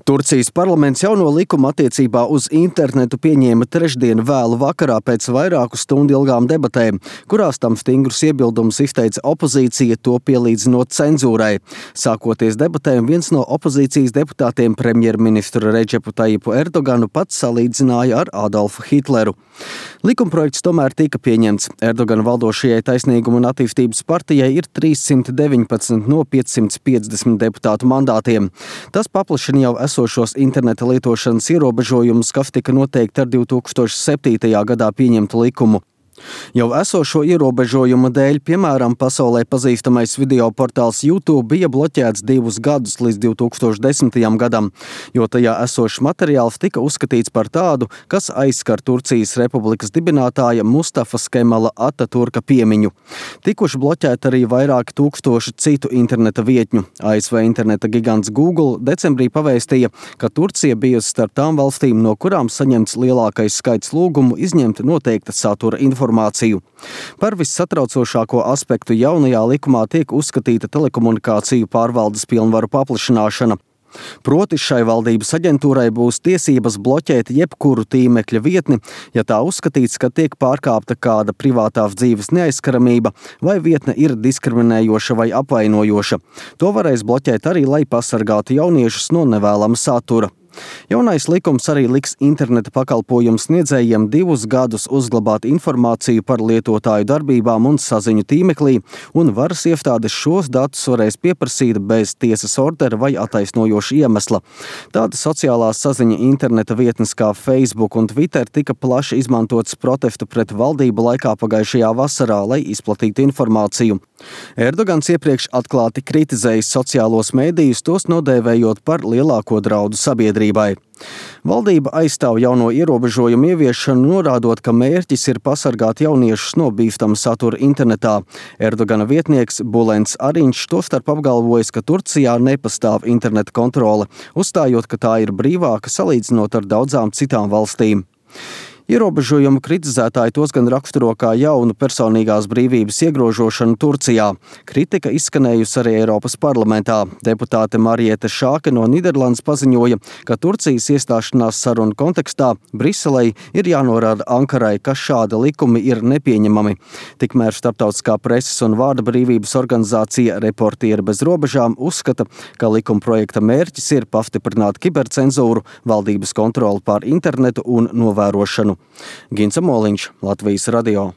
Turcijas parlaments jauno likumu attiecībā uz internetu pieņēma trešdien vēlu vakarā pēc vairāku stundu ilgām debatēm, kurās tam stingrus iebildumus izteica opozīcija, to pielīdzinot cenzūrai. Sākoties debatēm, viens no opozīcijas deputātiem premjerministru Redžepu Tajipu Erdoganu pats salīdzināja ar Adolfu Hitleru. Likumprojekts tomēr tika pieņemts. Erdogana valdošajai Taisnīguma un attīstības partijai ir 319 no 550 deputātu mandātiem. Tas paplašina jau esošos interneta lietošanas ierobežojumus, kas tika noteikti ar 2007. gadā pieņemtu likumu. Jau esošo ierobežojumu dēļ, piemēram, pasaulē pazīstamais video portāls YouTube bija bloķēts 2 gadus līdz 2010. gadam, jo tajā esošs materiāls tika uzskatīts par tādu, kas aizskar Turcijas republikas dibinātāja Mustafas Kemala Ataturka piemiņu. Tikuši bloķēti arī vairāki tūkstoši citu interneta vietņu. ASV interneta gigants Google decembrī pavēstīja, ka Turcija bijusi starp tām valstīm, no kurām saņemts lielākais skaits lūgumu izņemt noteikta satura informāciju. Par vissatraucošāko aspektu jaunajā likumā tiek uzskatīta telekomunikāciju pārvaldes pilnvaru paplašināšana. Proti šai valdības aģentūrai būs tiesības bloķēt jebkuru tīmekļa vietni, ja tā uzskatīts, ka tiek pārkāpta kāda privātās dzīves neaizskaramība vai vietne ir diskriminējoša vai apvainojoša. To varēs bloķēt arī, lai pasargātu jauniešus no nevēlama satura. Jaunais likums arī liks interneta pakalpojumu sniedzējiem 2 gadus uzglabāt informāciju par lietotāju darbībām un saziņu tīmeklī, un varas iestādes šos datus varēs pieprasīt bez tiesas ordera vai attaisnojoša iemesla. Tāda sociālās saziņa interneta vietnes kā Facebook un Twitter tika plaši izmantotas protestu pret valdību laikā pagājušajā vasarā, lai izplatītu informāciju. Erdogans iepriekš atklāti kritizējis sociālos mēdījus, tos nodēvējot par lielāko draudu sabiedrībai. Valdība aizstāv jauno ierobežojumu ieviešanu, norādot, ka mērķis ir pasargāt jauniešus no bīstama satura internetā. Erdogana vietnieks Bulents Ariņš tostarp apgalvojis, ka Turcijā nepastāv interneta kontrole, uzstājot, ka tā ir brīvāka salīdzinot ar daudzām citām valstīm. Ierobežojumu kritizētāji tos gan raksturo kā jaunu personīgās brīvības iegrožošanu Turcijā. Kritika izskanējusi arī Eiropas parlamentā. Deputāte Mariete Šāke no Nīderlandes paziņoja, ka Turcijas iestāšanās sarunu kontekstā Briselei ir jānorāda Ankarai, ka šādi likumi ir nepieņemami. Tikmēr Starptautiskā preses un vārda brīvības organizācija Reportieri bez robežām uzskata, ka likuma projekta mērķis ir pastiprināt kibercenzūru, valdības kontroli pār internetu un novērošanu. Ginca Moliņš, Latvijas radio.